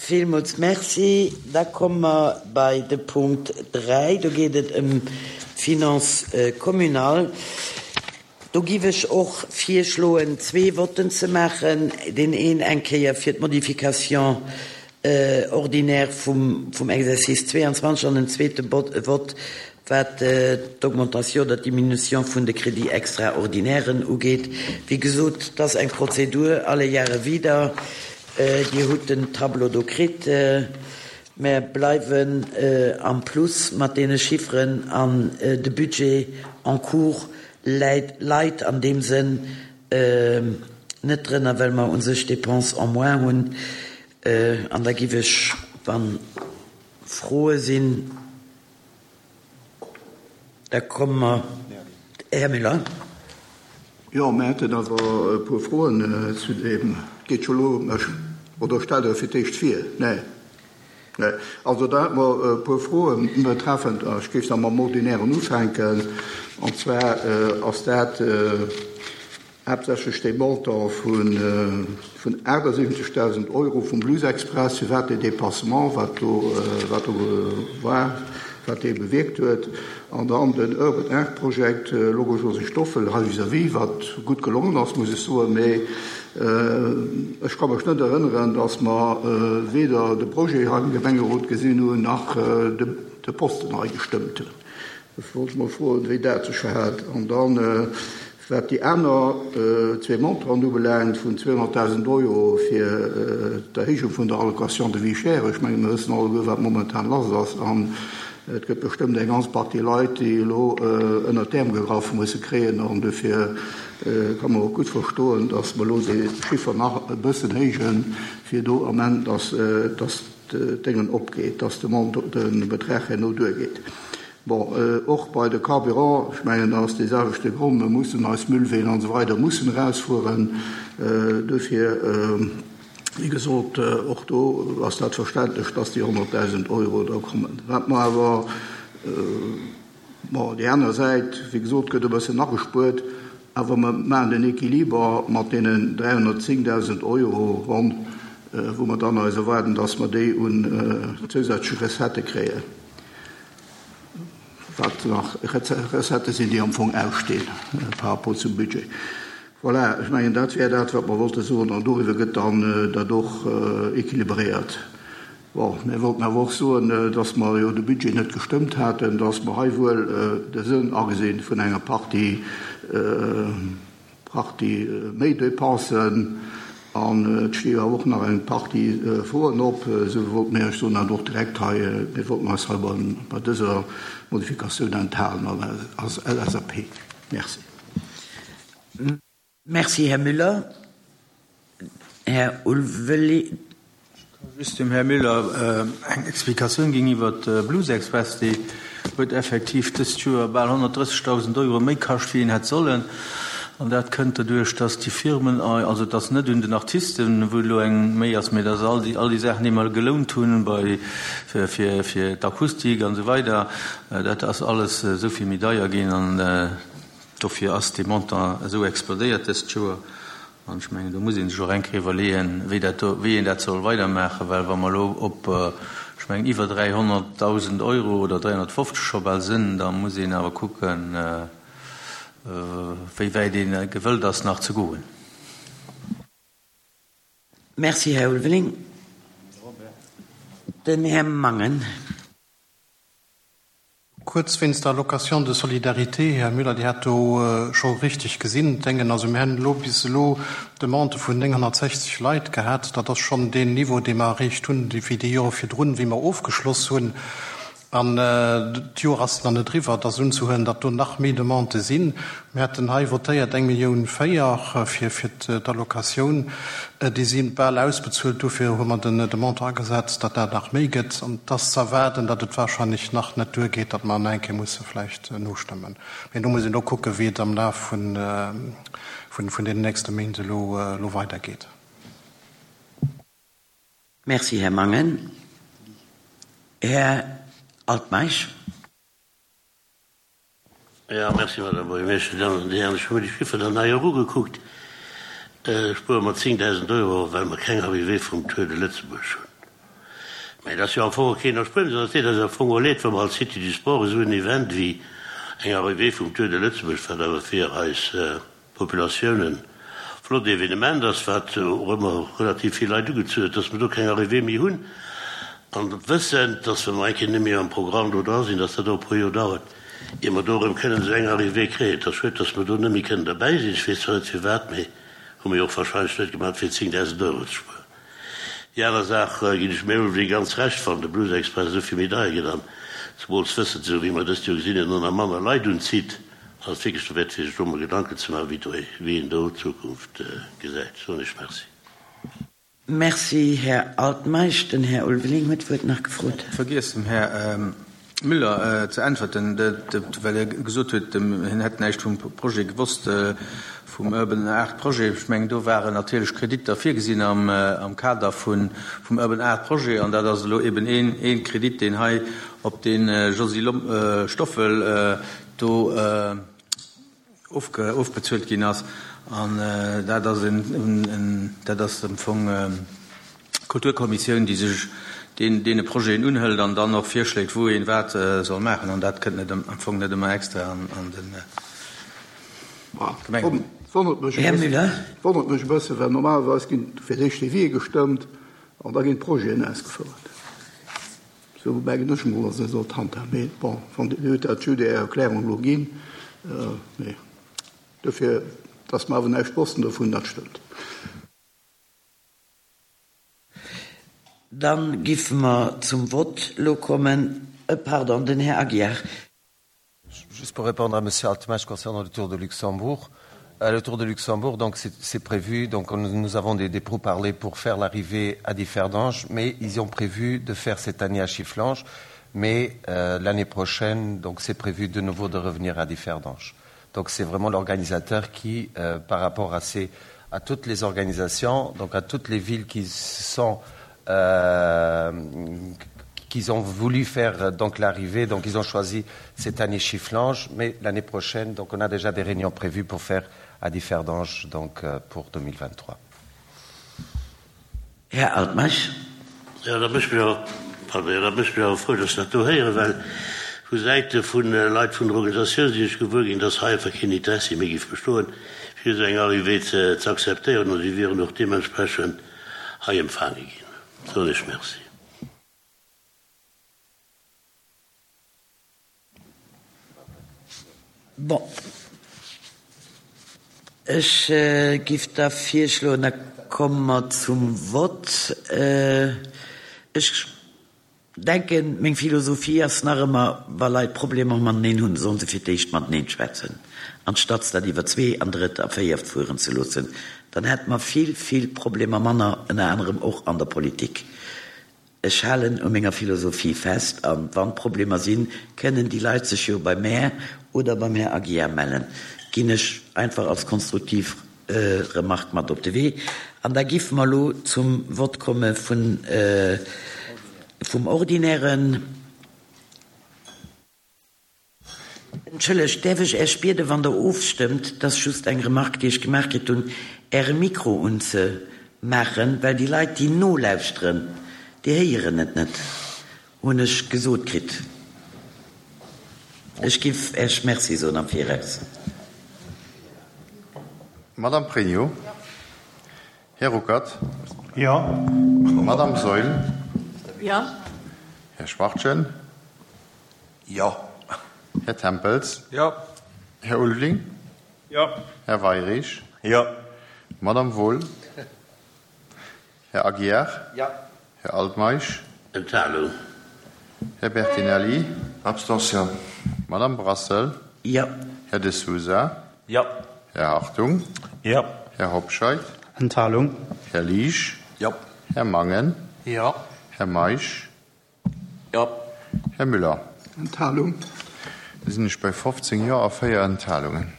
Villmools Merci. Da komme mer bei de Punkt 3. Do geet et ëm d'Finances communales. Do giff ech och virschloen, zwee Votten ze maachen, deen een eng Kéier fir d'Modification ordinaire vum Exercice 22 an en zweete Vott, wat d'Augmentation oder d'Diminution vun de Crédits extraordinairen ugeet. Wéi gesot, et ass eng Prozedur alle Jahre wieder. Dir hutt den Tableau do kritt. Mer bleiwen am Plus mat deene Chifferen an de Budget en cours läit leit an deem Sënn net drënner, well mer u sech Dépenses en moins hunn. An da giff ech, wa Froe sinn, da komme mer, Här Müller. Jo, mir hätten awer e puer Froen zu deem. Geet scho lo, oder stellt Der fir d'éischt vir? Nee. Nee. Also da hätte mer e puer Froen betreffend, ech géif da mam Ordinären ufänken, an zwar ass dat haaptsächlech dee Montant vun 78.000 Euro vum Blues Express, firwat dee Dépassement, wat do, wat do war, wat dee bewierkt huet, an dann den Urban Art Project, Logo Josy Stoffel hei vis-à-vis, wat gutt gelongen ass, muss ech soen, mee ech ka mech net erënneren, dass mer weder de Projet hei am Gemengerot gesinn hunn, nach de Posten hei gestëmmt hunn. Ech wollt mol froen, wéi dat sech verhält. An dann, wat déi aner zwee Montanten ubelaangt, vun 200.000 Euro fir d'Erhéijung vun der Allocation de vie chère, ech menge mir wëssen alleguer, wat momentan lass ass, an et gëtt bestëmmt eng ganz Partie Leit, déi elo ënnert d'Äerm gegraff musse kréien. An dofir ka mer och gutt verstoen, datt mer elo dee Chiffer nach e bëssen héijen, fir do am Enn, datt, datt d'Déngen opgeet, dass de Mont, de Betrag herno duergeet. Bon, och bei de Carburant, ech mengen, dat ass dee selwechte Grond, mir mussen eis Müllween an esou weider mussen erausfueren. Dofir, wéi gesot, och do ass dat verständlech, dass déi 100.000 Euro da kommen. Wat mer awer, Bon, déi aner Säit, wéi gesot, gëtt e bëssen agespuert, awer mer maachen den Équiliber mat deenen 310.000 Euro ronn, wou mer dann eis erwaarden, dass mer déi un zousätzleche Recettë kréien, wat nach Recettë sinn, déi am Fong ausstinn par rapport zum Budget. Voilà, ech mengen, dat wär dat, wat mer wollte soen, an doriwwer gëtt dann dat och équilibréiert. Bon, mir wollten awer och soen, dass mer jo de Budget net gestëmmt haten, dass mer hei wuel de Sënn agesinn vun enger Partie, Partie méi Dépensen. An et sti jo awer och nach eng Partie Froen op. Esou wollte mir Iech soen, dat och direkt hei, mir wollten eis hei bei dëser Modifikatioun enthalen als LSAP. Merci. Merci, Här Müller. Här Ulveling. Ech ka just dem Här Müller eng Explikatioun ginn iwwert de Blues Express. Dee huet effektiv dëst Joer bal 130.000 Euro méi kascht, wéi en hätt sollen. An dat kënnt doduerch, dass déi Firmen, also et ass net un den Artisten, wou elo eng méi ass, mee et ass all déi, all déi Saachen, déi mer gelount hunn bei, fir, fir d'Akustik an esou weider, dat ass alles esou vill méi deier ginn. An Dofir ass dee Montant esou explodéiert dëst Joer. An ech mengen, do muss ee sech och eng Kéier iwwerleeën, wéi dat do, wéi een dat soll weidermaachen, well wa mer elo op, ech mengen, iwwer 300.000 Euro oder 350 scho bal sinn, da muss een awer kucken, wéi wäit ee gewëllt ass nach ze goen. Merci, Här Ulveling. Den Här Mangen. Kuerz wéinst der Allocation de solidarité, Här Müller, Dir hat do scho richtig gesinn, d'Déngen, also mir hunn elo bis elo Demandë vun 960 Leit gehat. Dat ass schonn deen Niveau, dee mer erreecht hunn, wéi déi Jore virdrun, wéi mer ofgeschloss hunn. An d'Joer ass nach net eriwwer. Et ass unzehuelen, datt do nach méi Demandë sinn. Mir haten hei votéiert eng Millioun 4 fir d'Allocatioun. Déi si bal ausbezuelt. Dofir hu mer de Montant agesat, datt dat nach méi gëtt. An et ass ze erwaarden, datt et wahrscheinlech nach net duergeet, datt mer nach eng Kéier musse vläicht nostëmmen. Mee do muss een och kucken, wéi et am Laf vun deenen nächste Méint elo weidergeet. Merci, Här Mangen. Här Altmeisch. Jo, merci, Madame Buergermeeschtesch. Dir Dammen an Dir Hären, ech hu mir déi Chifferen dann hei och ugekuckt. Spuere mer 10.000 Euro, well mer keng Arrivée vum Tour de Lëtzebuerg hunn. Mä et ass jo am Fong och keen Erspuernis an et deet eis am Fong och leed, wa mer als Cité du Sport esou en Event wéi eng Arrivée vum Tour de Lëtzebuerg, wat awer fir eis Populatioun e flott Evenement ass, wat och ëmmer relativ vill Leit ugezu huet, dass mer do keng Arrivée méi hunn an wëssend, dass wa mer eng Kéier net méi am Programm do dra sinn, dass dat och e puer Joer dauert, ier mer do erëm kënnen esou eng Arrivée kréien. Et ass schued, dass mer do net méi kënnen derbäi sinn. Ech weess zwar net firwat, mee hu mer jo och wahrscheinlech net gemaach, fir 10.000 Euro ze spueren. Déi aner Saach ginn ech mir Ulveling ganz Recht, wann de Blues Express esou vill méi deier gëtt an zemools wëssend, esou wéi mer dëst Joer gesinn hunn, och nach manner Leit unzitt, ass et wierklech dowäert fir sech do mol Gedanken ze maachen, wéi do, wéi een do d'Zukunft gesäit. Soen ech Merci. Merci, Här Altmeisch. Den Här Ulveling huet d'Wuert nach gefrot. Vergiess dem Här Müller ze äntwerten, well e gesot huet, hien hätt näischt vum Projet gewosst, vum Urban Art Projet. Ech mengen, do waren natierlech Kreditter virgesinn am Kader vum Urban Art Projet, an dat ass elo eben ee Kredit, deen hei op de Josy Stoffel do ofbezuelt ginn ass, an dat ass en, dat ass am Fong d'Kulturkommissioun, déi sech deen, deene Projeten unhëlt an dann och virschléit, wou een wat soll maachen, an dat kënnt net am Fong net ëmmer extra an de Gemengerot. Wonnert mech e bëssen, wonnert mech e bëssen, well normalerweis ginn fir d'éischt Devisë gestëmmt an da ginn d'Projeten ausgefouert. Sou mengen ech mol, dass ee sollt handhaben. Mee bon, wann Dir hutt dat just Är Erklärung elo ginn. Mee dofir, dass mer awer näischt wossten dovun, dat stëmmt. Dann giffe mer zum Vott elo kommen. Pardon, den Här Aguiar. Juste pour répondre à Monsieur Altmaisch concernant le Tour de Luxembourg. Euh, le Tour de Luxembourg, donc c'est prévu, donc on, nous avons des, des pourparlers pour faire l'arrivée à Differdange, mais ils ont prévu de faire cette année à Chifflange, mais euh, l'année prochaine, donc c'est prévu de nouveau de revenir à Differdange. Donc c'est vraiment l'organisateur qui, euh, par rapport à, ces, à toutes les organisations, donc à toutes les villes qui sont euh, qu'ils ont voulu faire euh, donc l'arrivée donc ils ont choisi cette année Chifflange mais l'année prochaine donc on a déjà des réunions prévues pour faire à Differdange donc euh, pour 2023. Här Altmeisch. Jo, dat mécht mech awer, pardon, jo, dat mécht mech awer frou, dass ech dat do héieren, well vu Säite vu Leit vun der Organisatioun sinn ech gewuer ginn, dass hei einfach keen Interessi méi géif bestoen, fir esou eng Arrivée ze ze akzeptéieren, an si wieren och deementsprechend hei empfaange ginn. Soen ech Merci. Bon, ech giff da virschloen, da komme mer zum Vott. Ech denken, meng Philosophie ass nach ëmmer, wa Leit Problemer mateneen hunn, sollen se fir d'éischt mateneen schwätzen, anstatt dat iwwer zwee an drëtt a véiert fueren ze loossen. Dann hätte mer vill, vill Problemer manner, ënner anerem och an der Politik. Ech halen u menger Philosophie fest, a wann Problemer sinn, kënnen déi Leit sech jo bei mär oder beim Här Aguiar mellen. Ginn ech einfach als konstruktiv Remarque mat op de Wee. An da giffe mer elo zum Vott komme vun vum Ordinären. Entschëllegt, däerf ech Äech bieden, wann Der ofstëmmt, et ass just eng Remarque, déi ech gemaach kritt hunn, Äre Mikro unzemaachen, well déi Leit, déi nolauschteren, déi héieren et net, hunn ech gesot kritt. Ech giff Äech Merci soen am Viraus. Madame Pregno. Här Ruckert. Jo. Madame Saeul. Jo. Här Schwachtgen. Jo. Här Tempels. Jo. Här Ulveling. Jo. Här Weirich. Jo. Madame Wohl. Här Aguiar. Jo. Här Altmeisch. Enthalung. Här Bertinelli. Abstention. Madame Brassel. Jo. Här De Sousa. Jo. Här Hartung. Jo. Här Hobscheit. Enthalung. Här Liesch. Jo. Här Mangen. Jo. Här Meisch. Jo. Här Müller. Enthalung. Da sinn ech bei 15 Jo a 4 Enthalungen.